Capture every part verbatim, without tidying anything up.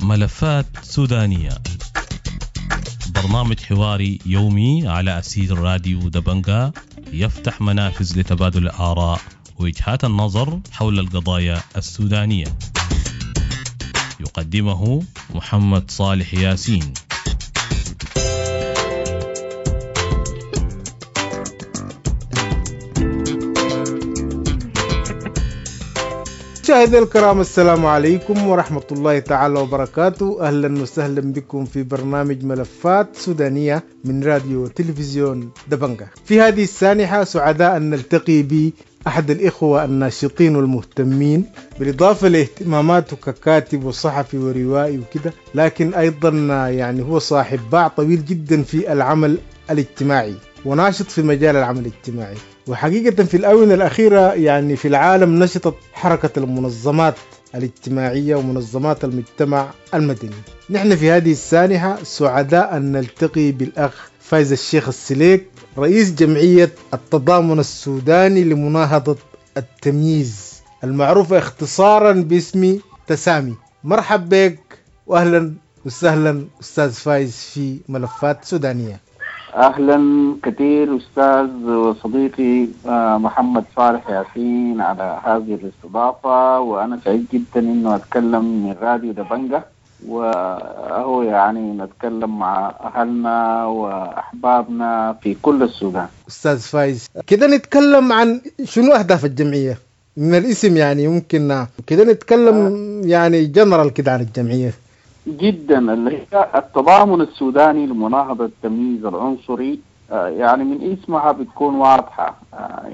ملفات سودانية، برنامج حواري يومي على أسير راديو دبنجا، يفتح منافذ لتبادل الآراء ووجهات النظر حول القضايا السودانية. يقدمه محمد صالح ياسين. مشاهدينا الكرام، السلام عليكم ورحمة الله تعالى وبركاته. أهلا وسهلا بكم في برنامج ملفات سودانية من راديو تلفزيون دبنجا. في هذه السانحة سعداء أن نلتقي بأحد الإخوة الناشطين والمهتمين، بالإضافة لاهتماماته ككاتب وصحفي وروائي وكده، لكن أيضا يعني هو صاحب باع طويل جدا في العمل الاجتماعي وناشط في مجال العمل الاجتماعي. وحقيقة في الآونة الأخيرة يعني في العالم نشطت حركة المنظمات الاجتماعية ومنظمات المجتمع المدني. نحن في هذه السانحة سعداء أن نلتقي بالأخ فايز الشيخ السليك، رئيس جمعية التضامن السوداني لمناهضة التمييز المعروفة اختصارا باسم تسامي. مرحب بك وأهلا وسهلا أستاذ فايز في ملفات سودانية. أهلا كثير أستاذ وصديقي محمد صالح ياسين على هذه الاستضافة، وأنا سعيد جدا إنه أتكلم من راديو دبنجا، وهو يعني نتكلم مع أهلنا وأحبابنا في كل السودان. أستاذ فايز، كده نتكلم عن شنو أهداف الجمعية من الاسم، يعني ممكن كده نتكلم يعني جنرال كده عن الجمعية. جدا، اللي هي التضامن السوداني لمناهضة التمييز العنصري، يعني من اسمها بتكون واضحة،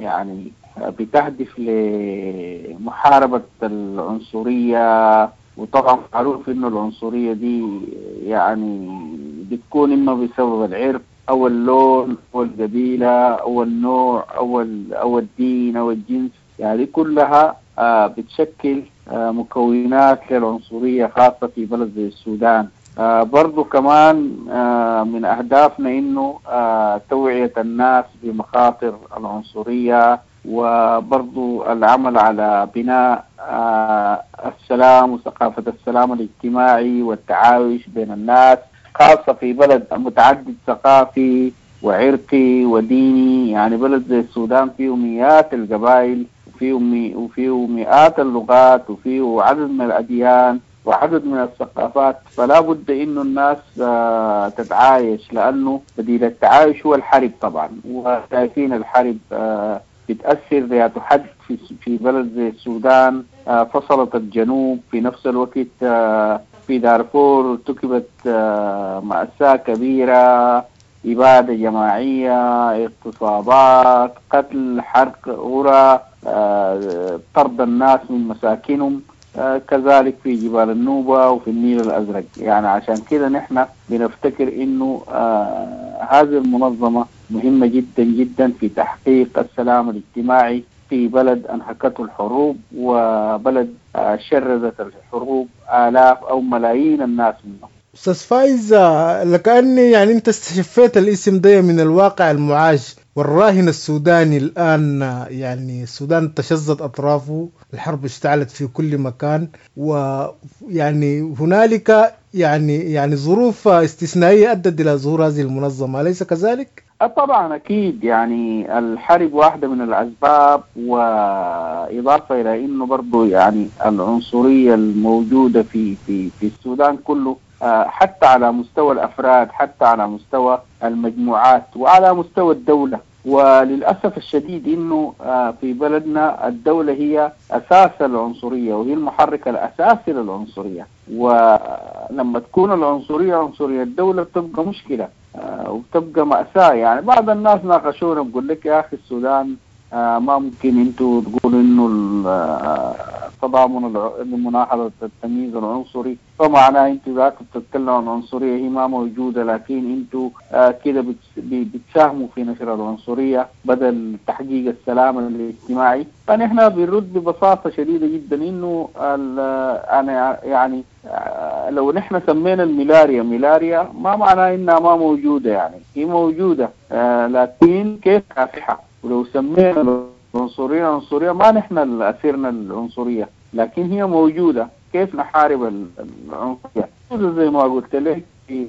يعني بتهدف لمحاربة العنصرية. وطبعا معروف انه العنصرية دي يعني بتكون اما بسبب العرق او اللون او القبيلة او النوع او او الدين او الجنس، يعني كلها بتشكل مكونات للعنصرية خاصة في بلد زي السودان. برضو كمان من أهدافنا إنه توعية الناس بمخاطر العنصرية، وبرضو العمل على بناء السلام وثقافة السلام الاجتماعي والتعايش بين الناس، خاصة في بلد متعدد ثقافي وعرقي وديني. يعني بلد زي السودان فيه مئات القبائل وفيه وفيه مئات اللغات وفيه عدد من الأديان وعدد من الثقافات، فلا بد إنه الناس تتعايش، لأنه بديل التعايش هو الحرب طبعا. وشايفين الحرب بتأثر ذات حد في في بلد زي السودان. فصلت الجنوب، في نفس الوقت في دارفور ارتكبت مأساة كبيرة، إبادة جماعية، اغتصابات، قتل، حرق قرى، طرد الناس من مساكنهم، كذلك في جبال النوبة وفي النيل الأزرق. يعني عشان كده نحن بنفتكر إنه هذه المنظمة مهمة جدا جدا في تحقيق السلام الاجتماعي في بلد أنهكته الحروب، وبلد شردت الحروب آلاف أو ملايين الناس منه. أستاذ فايز، لكأني يعني أنت استشفيت الاسم ده من الواقع المعاش والراهن السوداني الآن. يعني السودان تشظت أطرافه، الحرب اشتعلت في كل مكان، ويعني هنالك يعني يعني ظروف استثنائية أدت إلى ظهور هذه المنظمة، أليس كذلك؟ طبعا أكيد، يعني الحرب واحدة من الأسباب، وإضافة إلى إنه برضو يعني العنصرية الموجودة في في في السودان كله، حتى على مستوى الأفراد، حتى على مستوى المجموعات، وعلى مستوى الدولة. وللأسف الشديد إنه في بلدنا الدولة هي أساس العنصرية، وهي المحرك الأساسي للعنصرية. ولما تكون العنصرية عنصرية الدولة بتبقى مشكلة وبتبقى مأساة. يعني بعض الناس ناقشونا بقول لك يا أخي السودان ما ممكن انتوا تقولوا انه التضامن لمناهضة التمييز العنصري، فمعناه انتوا ذاك بتتكلموا عن عنصرية هي ما موجودة، لكن انتوا كده بتساهموا في نشر العنصرية بدل تحقيق السلام الاجتماعي. فنحن بنرد ببساطة شديدة جدا انه انا يعني لو نحن سمينا الملاريا ملاريا ما معناه انها ما موجودة، يعني هي موجودة لكن كيف كافحة. ولو سمينا العنصرية العنصرية ما نحن اللي أثرنا العنصرية، لكن هي موجودة. كيف نحارب العنصرية؟ زي ما قلت لك في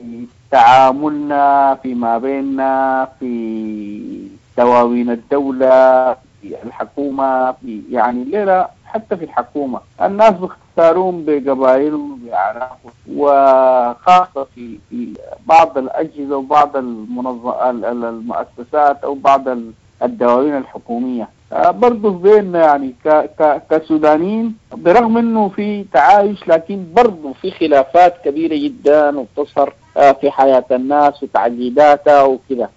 تعاملنا فيما بيننا، في دواوين الدولة، في الحكومة، في يعني الليلة حتى في الحكومة الناس بيختارون بقبائلهم وبأعراقهم، وخاصة في في بعض الأجهزة وبعض المنظ... المؤسسات أو بعض الدواوين الحكومية. برضو بيننا يعني ك... ك... كسودانيين برغم انه في تعايش، لكن برضو في خلافات كبيرة جدا وبتظهر في حياة الناس وتعقيداتها وكذا.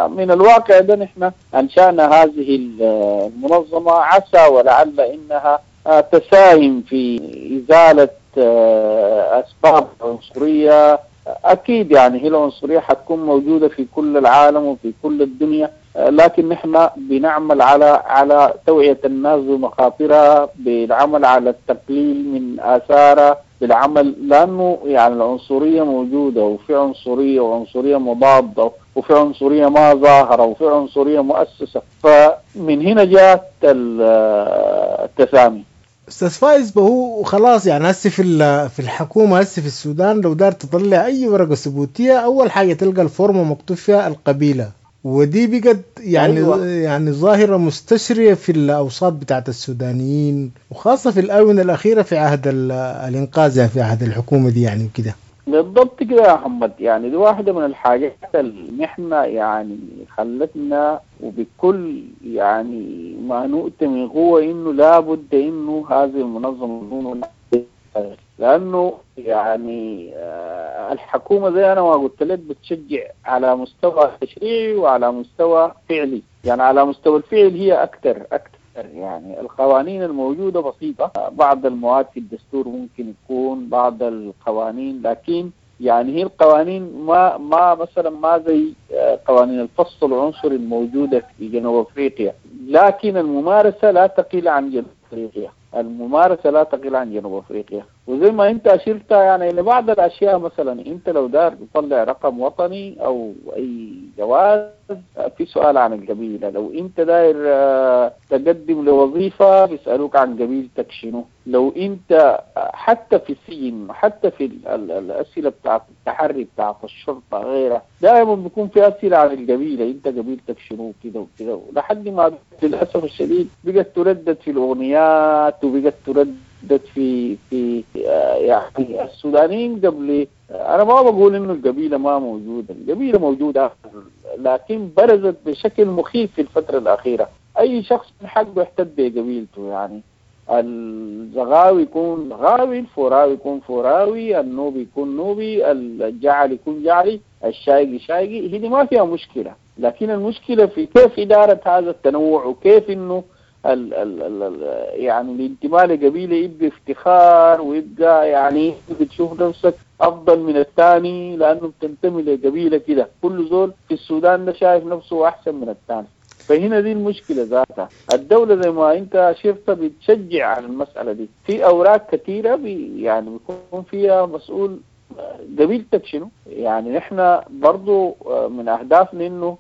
من الواقع ده نحن أنشأنا هذه المنظمة عسى ولعل إنها تساهم في إزالة أسباب العنصرية. أكيد يعني هي العنصرية حتكون موجودة في كل العالم وفي كل الدنيا، لكن نحن بنعمل على على توعية الناس بمخاطرها، بالعمل على التقليل من آثارها، بالعمل، لأنه يعني العنصرية موجودة، وفي عنصرية وعنصرية مضادة، وفي عنصرية ما ظاهرة، وفي عنصرية مؤسسة. فمن هنا جاءت التسامي. استاذ فايز، هو خلاص يعني هسه في في الحكومة هسه في السودان لو دار تطلع اي ورقة ثبوتية اول حاجة تلقى الفورمة مكتوب فيها القبيلة، ودي بقت يعني أيوة. يعني ظاهره مستشريه في الاوساط بتاعت السودانيين، وخاصة في الاونة الاخيرة في عهد الانقاذ، يعني في عهد الحكومة دي يعني كده. بالضبط كده يا محمد، يعني دي واحدة من الحاجات اللي نحن يعني خلتنا وبكل يعني ما نؤتي من قوة إنه لابد إنه هذه المنظمة، لأنه يعني الحكومة زي أنا ما قلت لك بتشجع على مستوى تشريعي وعلى مستوى فعلي. يعني على مستوى الفعل هي أكثر أكثر يعني القوانين الموجودة بسيطة، بعض المواد في الدستور ممكن يكون بعض القوانين، لكن يعني هي القوانين ما ما مثلا ما زي قوانين الفصل العنصري الموجودة في جنوب أفريقيا، لكن الممارسة لا تقل عن جنوب أفريقيا، الممارسة لا تقل عن جنوب أفريقيا. وزي ما أنت أشرت يعني لبعض الأشياء، مثلا أنت لو دار تطلع رقم وطني أو أي جواز في سؤال عن القبيلة، لو أنت داير تقدم لوظيفة بيسألوك عن قبيلتك شنو، لو أنت حتى في السجن، حتى في الأسئلة بتاعت التحري بتاعت الشرطة غيرها، دائما بيكون في أسئلة عن القبيلة، أنت قبيلتك شنو كده وكده، لحد ما للأسف الشديد بقت تردد في الأغنيات وبقت تردد في في يعني السودانيين قبل. أنا ما بقول إنه القبيلة ما موجودة، القبيلة موجودة، لكن برزت بشكل مخيف في الفترة الأخيرة. أي شخص من حقه يحتد بقبيلته، يعني الزغاوي يكون زغاوي، الفوراوي يكون فوراوي، النوبي يكون نوبي، الجعلي يكون جعلي، الشايقي شايقي، هذه ما فيها مشكلة. لكن المشكلة في كيف إدارة هذا التنوع، وكيف إنه ال ال ال يعني الانتماء لقبيلة يبقى افتخار، ويبقى يعني بتشوف نفسك أفضل من الثاني لأنه بتنتمي لقبيلة كده. كل زول في السودان ده شايف نفسه أحسن من الثاني، فهنا دي المشكلة ذاتها. الدولة زي ما أنت شفت بتشجع على المسألة دي في أوراق كثيرة بي يعني بيكون فيها مسؤول قبيلتك شنو. يعني نحن برضو من أهدافنا إنه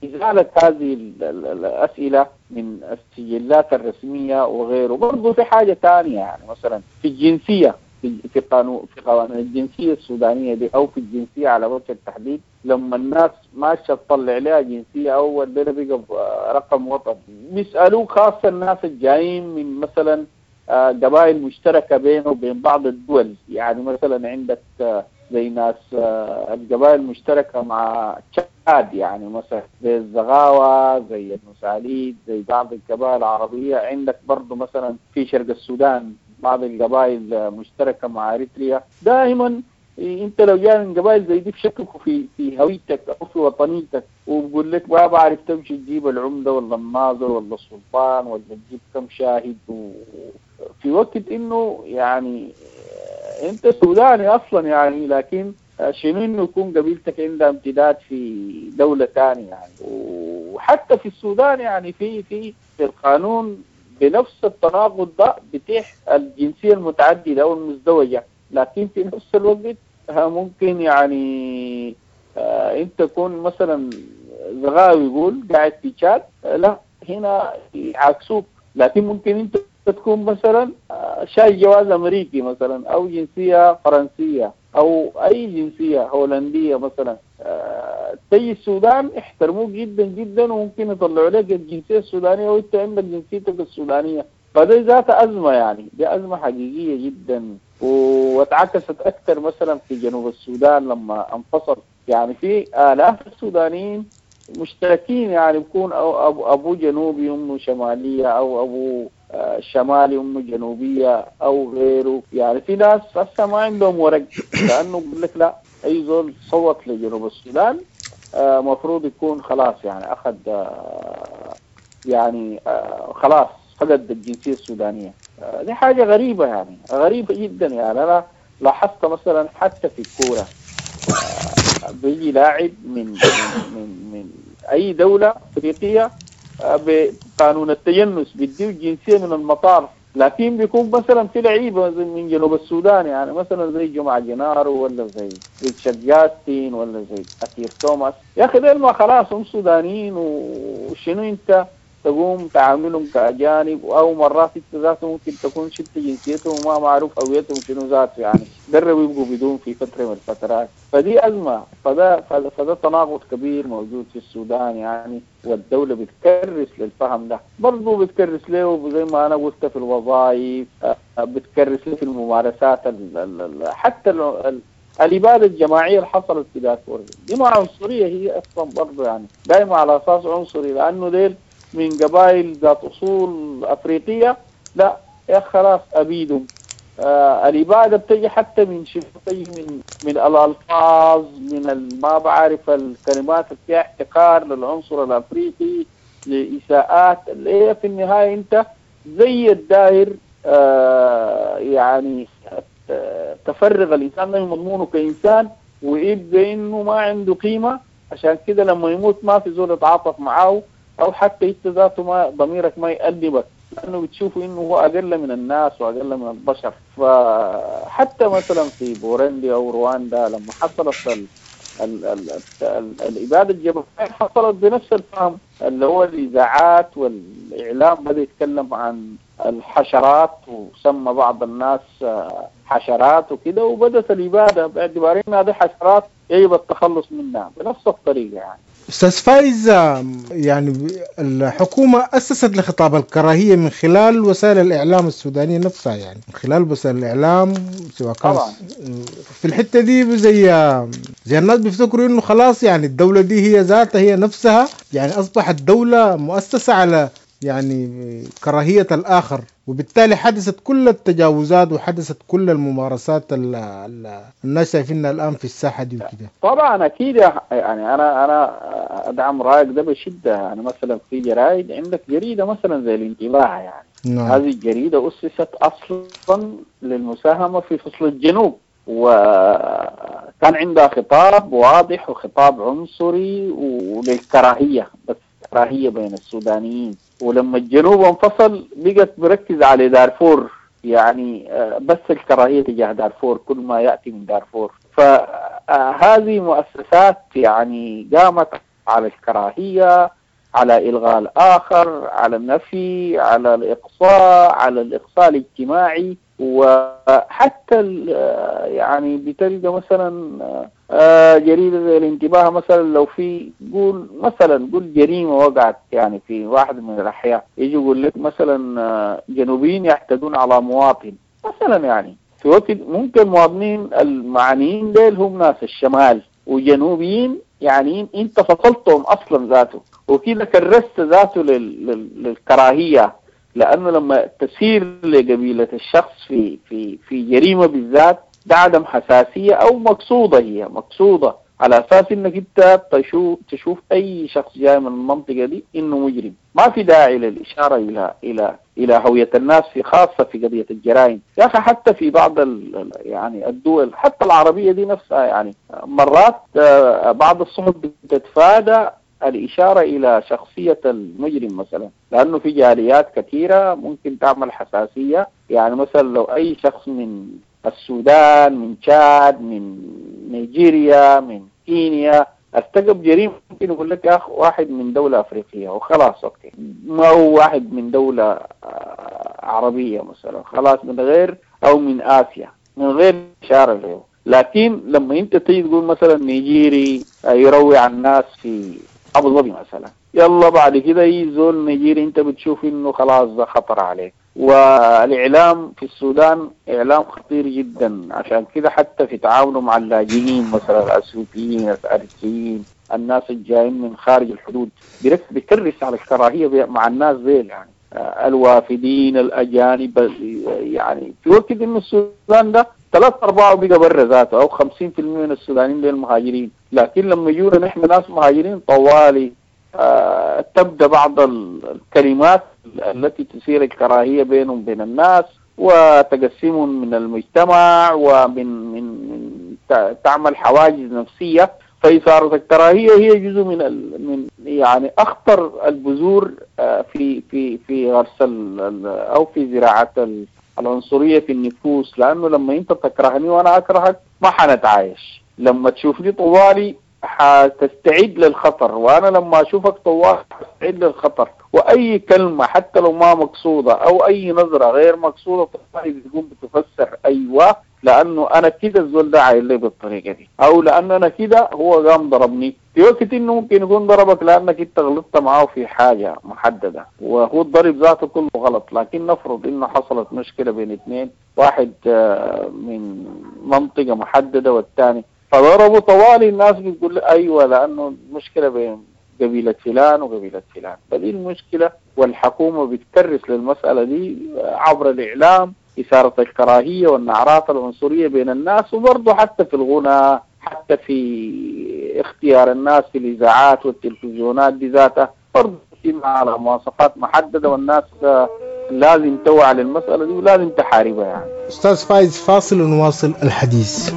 إزالة هذه الأسئلة من السجلات الرسمية وغيره. برضو في حاجة تانية، يعني مثلا في الجنسية، في قانون في قوانين الجنسية السودانية دي، أو في الجنسية على وجه التحديد، لما الناس ماشية تطلع لها جنسية أول بلا بقى رقم وطني بيسألوك، خاصة الناس الجايين من مثلا قبائل مشتركة بينه وبين بعض الدول، يعني مثلا عندك زي ناس القبائل المشتركة مع تشاد، يعني مثلا زي الزغاوة، زي المساليد، زي بعض القبائل العربية. عندك برضو مثلا في شرق السودان بعض القبائل مشتركة مع أريتريا. دائما انت لو جاي من قبائل زي دي بشككوا في في هويتك او في وطنيتك، وبقول لك ما بعرف تمشي تجيب العمدة ولا الناظر ولا السلطان ولا تجيب كم شاهد، في وقت انه يعني انت سوداني اصلا يعني، لكن شنو انه يكون قبيلتك عندها امتداد في دولة ثانية يعني. وحتى في السودان يعني في في في القانون بنفس التناقض ده بتيح الجنسية المتعددة او المزدوجة، لكن في نفس الوقت ممكن يعني آه انت تكون مثلا زغاوي يقول قاعد في تشاد، لا هنا يعاكسوك. لكن ممكن انت تكون مثلا شايل جواز امريكي مثلا او جنسية فرنسية او اي جنسية هولندية مثلا، تيجي السودان احترموك جدا جدا وممكن يطلعوا لك الجنسية السودانية وانت عندك جنسيتك السودانية. فدي ذات ازمة، يعني دي ازمة حقيقية جدا، واتعكست اكثر مثلا في جنوب السودان لما انفصل. يعني في الاف السودانيين مشتركين، يعني بيكون أو ابو جنوبي امه شمالية او ابو شمالي امه جنوبيه او غيره. يعني في ناس هسه ما عندهم ورق، لانه بيقول لك لا اي زول صوت لجنوب السودان مفروض يكون خلاص يعني اخذ يعني خلاص فقد الجنسية السودانية. دي حاجة غريبة، يعني غريبة جدا. يعني انا لاحظت مثلا حتى في الكورة بيجي لاعب من من من اي دولة افريقية بقانون التجنس بيديه الجنسية من المطار، لكن بيكون مثلا في لعيبة من جنوب السودان، يعني مثلا زي جمعه جنارو ولا زي ريتشارد جاستين ولا زي اكير توماس، يا اخي ديل ما خلاص هم سودانيين، وشنو انت تقوم تعاملهم كأجانب، أو مرات انت ذاته ممكن تكون شلت جنسيتهم وما معروف هويتهم شنو ذاته، يعني قربوا يبقوا بدون في فترة من الفترات. فدي أزمة، فده فده, فده تناقض كبير موجود في السودان يعني، والدولة بتكرس للفهم ده، برضه بتكرس له زي ما أنا قلت في الوظائف، بتكرس له في الممارسات ال ال حتى ال الإبادة الجماعية اللي حصلت في دارفور دي ما عنصرية هي أصلا برضه، يعني دائما على أساس عنصري، لأنه ديل من قبائل ذات أصول أفريقية، لا يا خلاص أبيدهم. آه الإبادة بتجي حتى من شيء، بتجي من من الألفاظ، من ما بعرف الكلمات اللي فيها احتقار للعنصر الأفريقي، لإساءات اللي هي في النهاية أنت زي الداير آه يعني تفرغ الإنسان من مضمونه كإنسان ويبقى إنه ما عنده قيمة. عشان كده لما يموت ما في زول يتعاطف معاه، أو حتى أنت ذاته ما ضميرك ما يأدبك، لأنه بتشوفه إنه هو أقل من الناس وأقل من البشر. فحتى مثلا في بورندي أو رواندا لما حصلت ال ال ال ال الإبادة الجماعية حصلت بنفس الفهم، اللي هو الإذاعات والإعلام بدأ يتكلم عن الحشرات وسمى بعض الناس حشرات وكده، وبدأت الإبادة باعتبار إنها دي حشرات يجب التخلص منها بنفس الطريقة. يعني أستاذ فايز، يعني الحكومة أسست لخطاب الكراهية من خلال وسائل الإعلام السودانية نفسها، يعني من خلال وسائل الإعلام سواء كان في الحتة دي زي زي الناس بيفتكروا إنه خلاص يعني الدولة دي هي ذاتها هي نفسها، يعني أصبحت دولة مؤسسة على يعني كراهية الآخر، وبالتالي حدثت كل التجاوزات وحدثت كل الممارسات اللي الناس شايفينها الآن في الساحة دي وكده. طبعا أكيد، يعني أنا أنا أدعم رأيك ده بشدة. يعني مثلا في جرايد، عندك جريدة مثلا زي الانتباه، يعني نعم. هذه الجريدة أسست أصلا للمساهمة في فصل الجنوب، وكان عندها خطاب واضح وخطاب عنصري وللكراهية، بس كراهية بين السودانيين. ولما الجنوب انفصل بقت مركز على دارفور، يعني بس الكراهية تجاه دارفور، كل ما يأتي من دارفور. فهذه مؤسسات يعني قامت على الكراهية، على إلغاء الآخر، على النفي، على الإقصاء، على الإقصاء الاجتماعي. وحتى يعني بتلقى مثلا جريدة زي الانتباه مثلا، لو في قول مثلا قول جريمة وقعت يعني في واحد من الأحياء، يجي يقول لك مثلا جنوبيين يعتدون على مواطن مثلا، يعني في وقت ممكن مواطنين المعنيين ديل هم ناس الشمال وجنوبيين، يعني انت فصلتهم اصلا ذاته، وكده كرست ذاته للكراهية. لأنه لما تسير لقبيلة الشخص في في في جريمة بالذات، ده عدم حساسية أو مقصودة، هي مقصودة على أساس إنك أنت تشوف تشوف أي شخص جاي من المنطقة دي إنه مجرم. ما في داعي للإشارة إلى إلى إلى هوية الناس، في خاصة في قضية الجرائم يا أخي. حتى في بعض ال يعني الدول حتى العربية دي نفسها، يعني مرات بعض الصحف بتتفادى الإشارة إلى شخصية المجرم مثلا، لأنه في جاليات كثيرة ممكن تعمل حساسية. يعني مثلا لو أي شخص من السودان، من تشاد، من نيجيريا، من كينيا، ارتكب جريمة ممكن يقول لك يا أخ واحد من دولة أفريقية وخلاص، okay، ما هو واحد من دولة عربية مثلا خلاص، من غير أو من آسيا من غير إشارة له. لكن لما أنت تيجي تقول مثلا نيجيري يروع الناس في أبو ظبي مثلا، يلا بعد كده أي زول نيجيري أنت بتشوف إنه خلاص ده خطر عليك. والإعلام في السودان إعلام خطير جدا، عشان كده حتى في تعاونه مع اللاجئين مثلا الأثيوبيين الأريتريين الناس الجايين من خارج الحدود بيكرس على الكراهية مع الناس ذيل، يعني الوافدين الأجانب. يعني في وقت إنه السودان ده ثلاث أرباعه بقى برا ذاته أو خمسين في المية من السودانيين دول مهاجرين، لكن لما يجونا نحن ناس مهاجرين طوالي آه تبدأ بعض الكلمات التي تثير الكراهية بينهم وبين الناس وتقسمهم من المجتمع ومن من من تعمل حواجز نفسية. فإثارة الكراهية هي جزء من من يعني أخطر البذور في في في غرس أو في زراعة العنصرية في النفوس، لأنه لما أنت تكرهني وأنا أكرهك ما حنتعايش، لما تشوفني طوالي حتستعد للخطر، وأنا لما أشوفك طوالي حتستعد للخطر، وأي كلمة حتى لو ما مقصودة أو أي نظرة غير مقصودة طوالي بتقوم بتفسر أيوة لأنه أنا كده الزول ده عايل لي بالطريقة دي، أو لأنه أنا كده هو قام ضربني. في وقت إنه ممكن يكون ضربك لأنك أنت غلطت معاه في حاجة محددة وهو الضرب ذاته كله غلط، لكن نفرض إنه حصلت مشكلة بين اثنين، واحد من منطقة محددة والثاني فضربوا طوالي، الناس بتقول أيوة لأنه المشكلة بين قبيلة فلان وقبيلة فلان. فدي المشكلة، والحكومة بتكرس للمسألة دي عبر الإعلام، إثارة الكراهية والنعرات العنصرية بين الناس، وبرضه حتى في الغنى، حتى في اختيار الناس في الإذاعات والتلفزيونات دي ذاتها برضه على مواصفات محددة، والناس لازم توعى للمسألة دي ولازم تحاربها. يعني أستاذ فايز، فاصل ونواصل الحديث.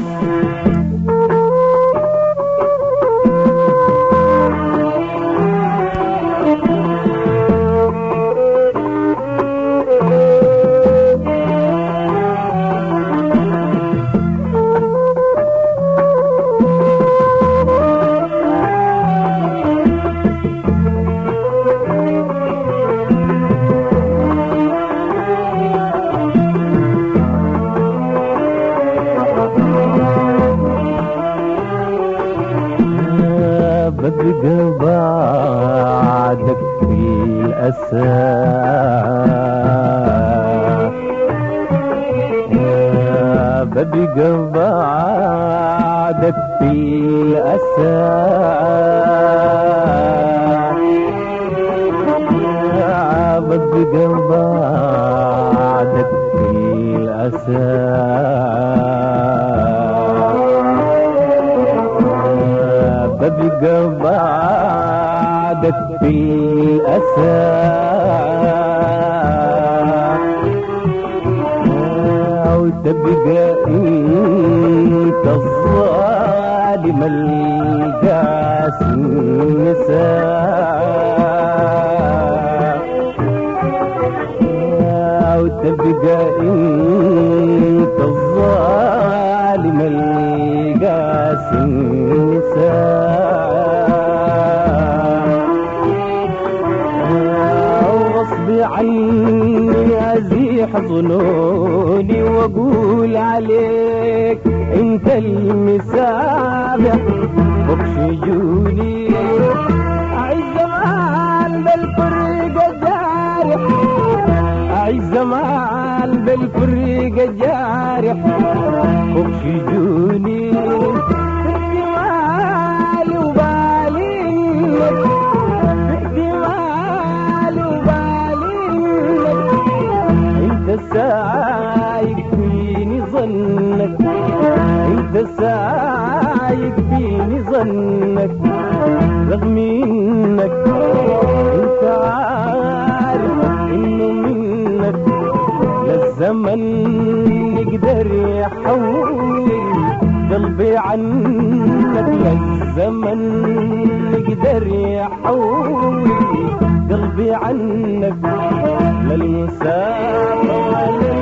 للمسافة ولا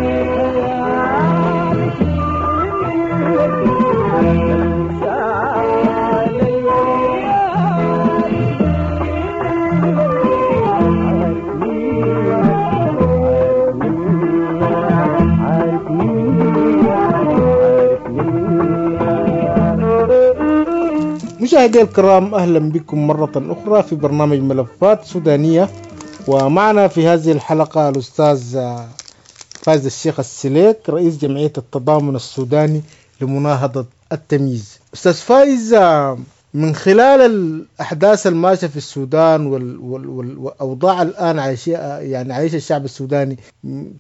مشاهدي الكرام، أهلا بكم مرة أخرى في برنامج ملفات سودانية، ومعنا في هذه الحلقة الأستاذ فايز الشيخ السليك رئيس جمعية التضامن السوداني لمناهضة التمييز. أستاذ فايز، من خلال الأحداث الماشية في السودان والأوضاع الآن عايشة يعني عايش الشعب السوداني،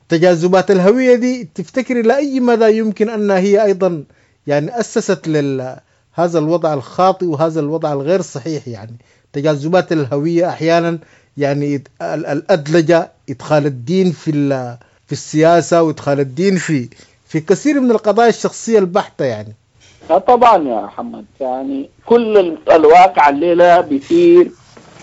تجاذبات الهوية دي تفتكري لأي مدى يمكن أنها هي أيضا يعني أسست لل هذا الوضع الخاطئ وهذا الوضع الغير صحيح؟ يعني تجاذبات الهوية أحيانا يعني الأدلجة، إدخال الدين في في السياسة وإدخال الدين في في كثير من القضايا الشخصية البحتة يعني. طبعا يا محمد، يعني كل الواقع الليلة بيثير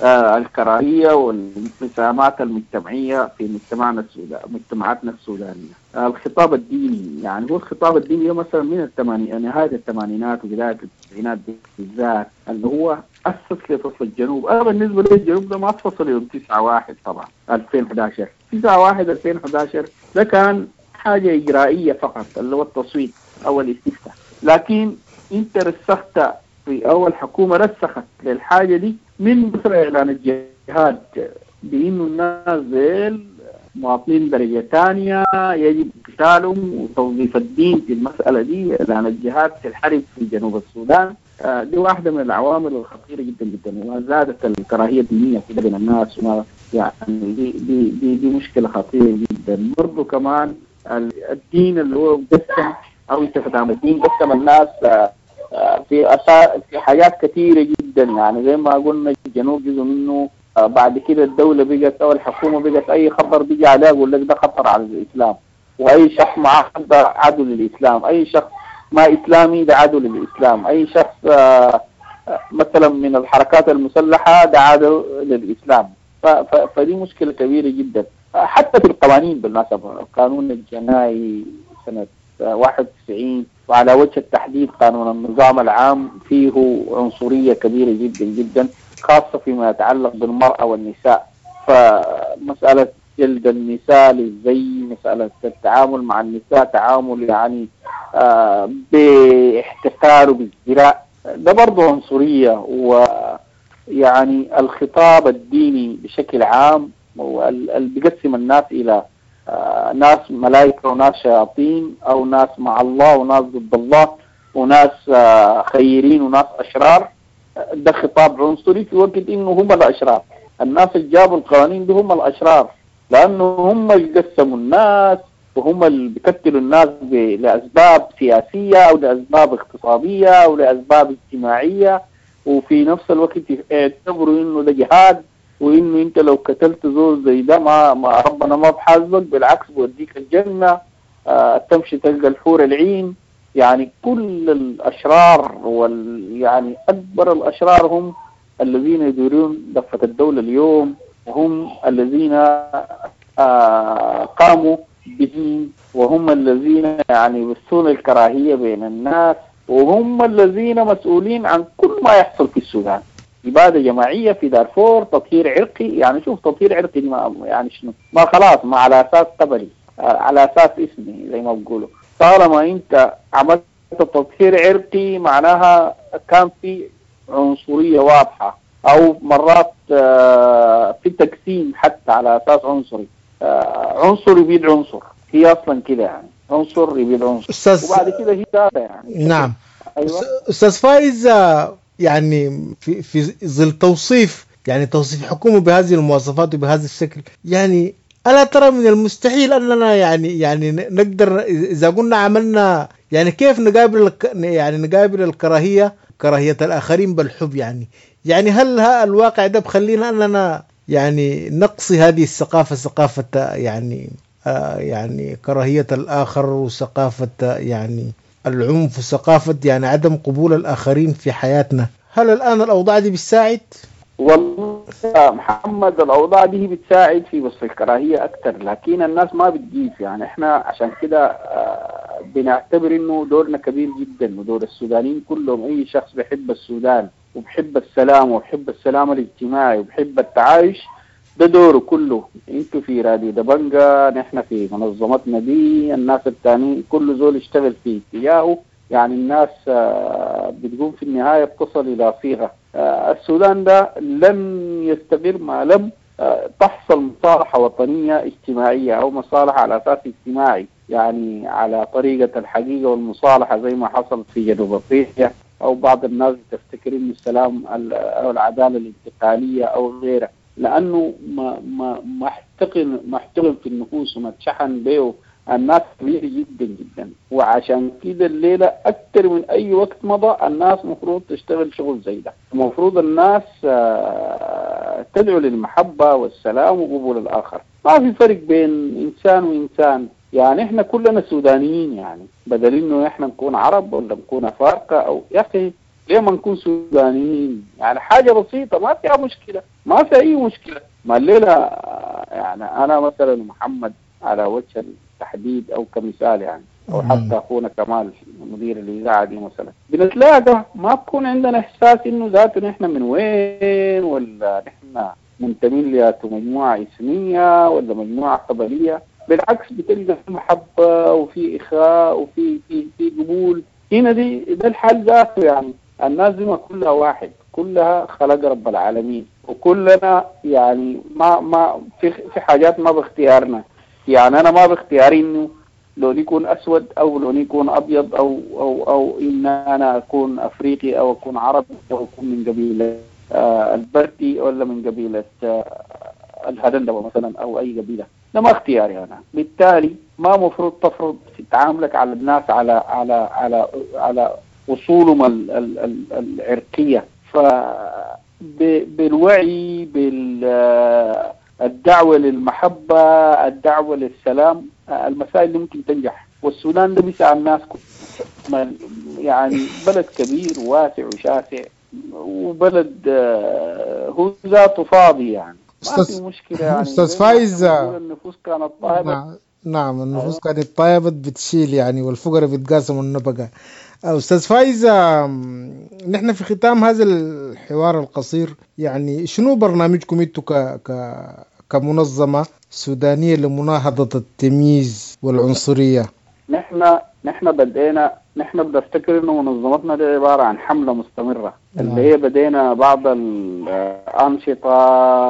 آه الكراهية والانقسامات المجتمعية في مجتمعنا السوداني، مجتمعاتنا السودانية. آه الخطاب الديني، يعني هو الخطاب الديني مثلا من الثمانينات، نهاية الثمانينات وبداية التسعينات بالذات، اللي هو أسس لفصل الجنوب. أنا بالنسبة لي الجنوب ده ما فصل يوم تسعة واحد طبعا ألفين وأحد عشر، تسعة واحد ألفين وأحد عشر ده كان حاجة إجرائية فقط اللي هو التصويت أو الاستفتاء، لكن أنت رسخت في أول حكومة رسخت للحاجة دي من مثل إعلان الجهاد بإنه الناس ديل مواطنين درجة ثانية يجب قتالهم، وتوظيف الدين في المسألة دي، إعلان الجهاد في الحرب في جنوب السودان. دي واحدة من العوامل الخطيرة جدا جدا، وزادت الكراهية الدينية في بين الناس، وما يعني دي دي دي, دي مشكلة خطيرة جدا. برضو كمان الدين اللي هو قسم أو استخدام الدين قسم الناس في أسا... في حاجات كثيرة جدا. يعني زي ما قلنا الجنوب جزء منه، بعد كده الدولة بقت أو الحكومة بقت أي خطر بيجي عليها يقول لك ده خطر على الإسلام، وأي شخص معاه عدو للإسلام، أي شخص ما إسلامي ده عدو للإسلام، أي شخص مثلا من الحركات المسلحة ده عدو للإسلام. ف... ف... فدي مشكلة كبيرة جدا. حتى في القوانين بالمناسبة، القانون الجنائي سنة واحد وتسعين وعلى وجه التحديد قانون النظام العام فيه عنصرية كبيرة جدا جدا، خاصة فيما يتعلق بالمرأة والنساء. فمسألة جلد النساء للزي، مسألة التعامل مع النساء تعامل يعني آه باحتقار وبازدراء، ده برضه عنصرية. ويعني الخطاب الديني بشكل عام اللي بيقسم الناس إلى آه ناس ملائكة وناس شياطين، أو ناس مع الله وناس ضد الله، وناس آه خيرين وناس أشرار، ده خطاب عنصري في وقت إنه هم الأشرار. الناس اللي جابوا القوانين دي هم الأشرار، لأنه هم اللي قسموا الناس وهم اللي بيقتلوا الناس لأسباب سياسية أو لأسباب اقتصادية أو لأسباب اجتماعية، وفي نفس الوقت يعتبروا إنه ده جهاد، وإنه أنت لو قتلت زول زي ده ما, ما ربنا ما بحاسبك، بالعكس بوديك الجنة، آه تمشي تلقى الحور العين. يعني كل الأشرار وال يعني أكبر الأشرار هم الذين يديرون دفة الدولة اليوم، وهم الذين آه قاموا بدين، وهم الذين يعني يبثون الكراهية بين الناس، وهم الذين مسؤولين عن كل ما يحصل في السودان. إبادة جماعية في دارفور، تطهير عرقي، يعني شوف تطهير عرقي ما يعني شنو، ما خلاص ما على أساس قبلي، على أساس اسمي زي ما بقولوا. طالما أنت عملت تطهير عرقي معناها كان في عنصرية واضحة، أو مرات في تقسيم حتى على أساس عنصري، عنصر يبيد عنصر، هي أصلا كده يعني عنصر يبيد عنصر، وبعد كده هي يعني. نعم. أيوة. أستاذ فايز، يعني في في ظل توصيف يعني توصيف حكومة بهذه المواصفات وبهذا الشكل، يعني ألا ترى من المستحيل أننا يعني يعني نقدر إذا قلنا عملنا يعني كيف نقابل يعني نقابل الكراهية، كراهية الآخرين بالحب؟ يعني يعني هل الواقع ده بخلينا أننا يعني نقصي هذه الثقافة، ثقافة يعني آه يعني كراهية الآخر، وثقافة يعني العنف، وثقافة يعني عدم قبول الآخرين في حياتنا؟ هل الآن الأوضاع دي بتساعد؟ والله يا محمد الأوضاع دي بتساعد في بس الكراهية أكثر، لكن الناس ما بتجيب. يعني إحنا عشان كده بنعتبر إنه دورنا كبير جدا، ودور السودانيين كلهم، أي شخص بيحب السودان وبحب السلام وبحب السلام الاجتماعي وبحب التعايش، ده دوره كله. انتوا في راديو دبنجة، نحن في منظمتنا دي، الناس التانيين كل زول يشتغل في اتجاهه، يعني الناس بتقوم في النهاية بتصل إلى صيغة. السودان ده لن يستقر ما لم تحصل مصالحة وطنية اجتماعية أو مصالحة على أساس اجتماعي، يعني على طريقة الحقيقة والمصالحة زي ما حصل في جنوب أفريقيا، أو بعض الناس تفتكر إنه السلام أو العدالة الانتقالية أو غيرها، لأنه ما ما ما احتقن ما احتقن في النفوس وما اتشحن به الناس كبير جدا جدا. وعشان كده الليلة أكثر من أي وقت مضى الناس مفروض تشتغل شغل زي ده، المفروض الناس تدعو للمحبة والسلام وقبول الآخر. ما في فرق بين إنسان وإنسان، يعني إحنا كلنا سودانيين، يعني بدل إنه إحنا نكون عرب ولا نكون أفارقة أو يا أخي ليه ما نكون سودانيين؟ يعني حاجة بسيطة ما فيها مشكلة، ما في أي مشكلة. ما الليلة يعني أنا مثلا محمد على وجه التحديد أو كمثال يعني، أو حتى أخونا كمال مدير الإذاعة دي مثلا، بنتلاقى ما بكون عندنا إحساس إنه ذاته نحن من وين، ولا نحن منتمين لياتو مجموعة إثنية ولا مجموعة قبلية. بالعكس بتلقى في محبة وفي إخاء وفي في في قبول. هنا دي ده الحال ذاته، يعني الناس دي ما كلها واحد، كلها خلق رب العالمين، وكلنا يعني ما ما في في حاجات ما باختيارنا. يعني أنا ما باختياري إنه لوني يكون أسود أو لوني يكون أبيض أو أو أو إن أنا أكون أفريقي أو أكون عربي أو أكون من قبيلة آه البردي ولا من قبيلة آه الهدندوة مثلا أو أي قبيلة، ده ما اختياري أنا. بالتالي ما مفروض تفرض في تعاملك على الناس على على على على أصولهم ال ال ال العرقية. فبالوعي بالدعوة للمحبة، الدعوة للسلام، المسائل اللي ممكن تنجح. والسودان ده بيسع الناس كلها، يعني بلد كبير واسع وشاسع، وبلد هو ذاته فاضي، يعني ما في مشكلة. يعني أستاذ فايز، النفوس كانت طيبة. نعم, نعم النفوس كانت طيبة بتشيل يعني، والفقراء بيتقاسموا النبقة. أستاذ فايز، نحن في ختام هذا الحوار القصير، يعني شنو برنامجكم انتو ك ك كمنظمة سودانية لمناهضة التمييز والعنصرية؟ نحن نحن بدينا نحن بنفتكر انه منظمتنا دي عبارة عن حملة مستمرة، اللي هي بدينا بعض الأنشطة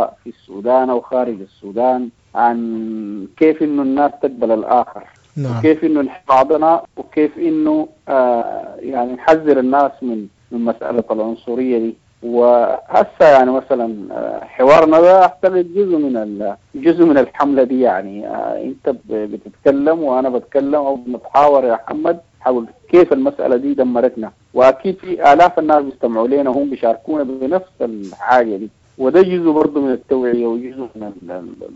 في السودان أو خارج السودان عن كيف انه الناس تقبل الآخر. نعم. وكيف انه نحب بعضنا، وكيف انه آه يعني نحذر الناس من من مسألة العنصرية دي. وهسه يعني مثلا حوارنا ده اعتقد جزء من جزء من الحملة دي، يعني آه انت بتتكلم وانا بتكلم او بنتحاور يا محمد حول كيف المسألة دي دمرتنا، واكيد في الاف الناس بيستمعوا لنا وهم بيشاركونا بنفس الحاجة دي. وده جزء برضه من التوعية وجزء من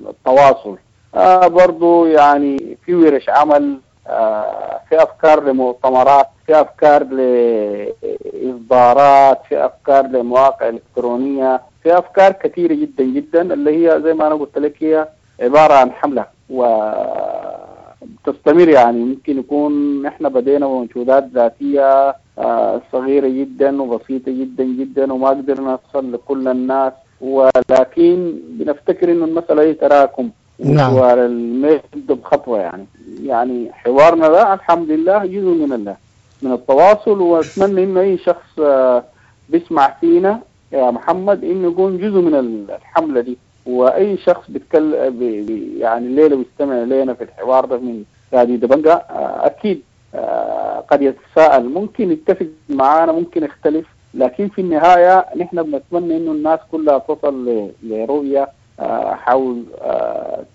التواصل. آه برضو يعني في ورش عمل، آه في أفكار لمؤتمرات، في أفكار لإصدارات، في أفكار لمواقع إلكترونية، في أفكار كثيرة جدا جدا اللي هي زي ما أنا قلت لك هي عبارة عن حملة وتستمر. يعني ممكن يكون إحنا بدينا بمجهودات ذاتية آه صغيرة جدا وبسيطة جدا جدا وما قدرنا نصل لكل الناس، ولكن بنفتكر إنه المسألة هي تراكم. نعم. والمجد بخطوة، يعني يعني حوارنا ده الحمد لله جزء من الله من التواصل، واتمنى انه اي شخص بيسمع فينا يا محمد انه يكون جزء من الحملة دي، واي شخص بيتكلم بي يعني الليلة بيستمع لنا في الحوار ده من راديو دبنجا اكيد قد يتساءل، ممكن يتفق معانا، ممكن يختلف، لكن في النهاية نحن بنتمنى انه الناس كلها تصل لرؤية حول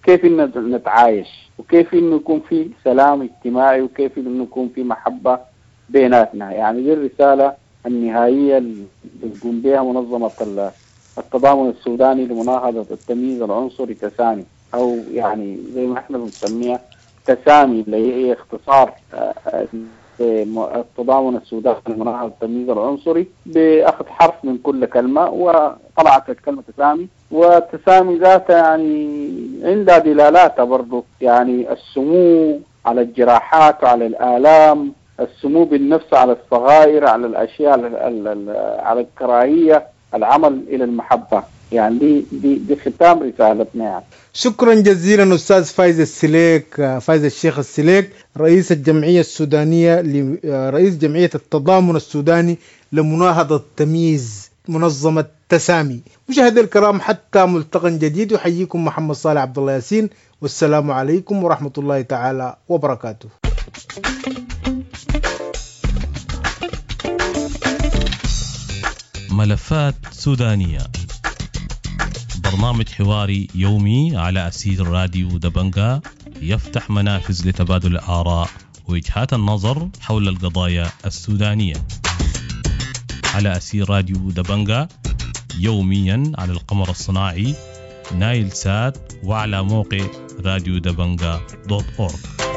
كيف إن نتعايش، وكيف إنه يكون في سلام اجتماعي، وكيف إنه يكون في محبة بيناتنا. يعني دي الرسالة النهائية اللي بتقوم بها منظمة التضامن السوداني لمناهضة التمييز العنصري تسامي، أو يعني زي ما احنا بنسميها تسامي، اللي هي اختصار التضامن السوداني لمناهضة التمييز العنصري، بأخذ حرف من كل كلمة وطلعت الكلمة تسامي. والتسامي ذاتها يعني عندها دلالاتها برضو، يعني السمو على الجراحات وعلى الآلام، السمو بالنفس على الصغائر، على الأشياء، على, على الكراهية، العمل إلى المحبة. يعني دي دي دي ختام رسالتنا يعني. شكرا جزيلا استاذ فايز السليك، فايز الشيخ السليك، رئيس الجمعية السودانية، رئيس جمعية التضامن السوداني لمناهضه التمييز، منظمة تسامي. مشاهدي الكرام، حتى ملتقى جديد، يحييكم محمد صالح عبد الله ياسين، والسلام عليكم ورحمة الله تعالى وبركاته. ملفات سودانية، برنامج حواري يومي على أثير راديو دبنجا، يفتح منافذ لتبادل الآراء ووجهات النظر حول القضايا السودانية على أثير راديو دبنجا، يوميا على القمر الصناعي نايل سات وعلى موقع راديو دبنجا dot org.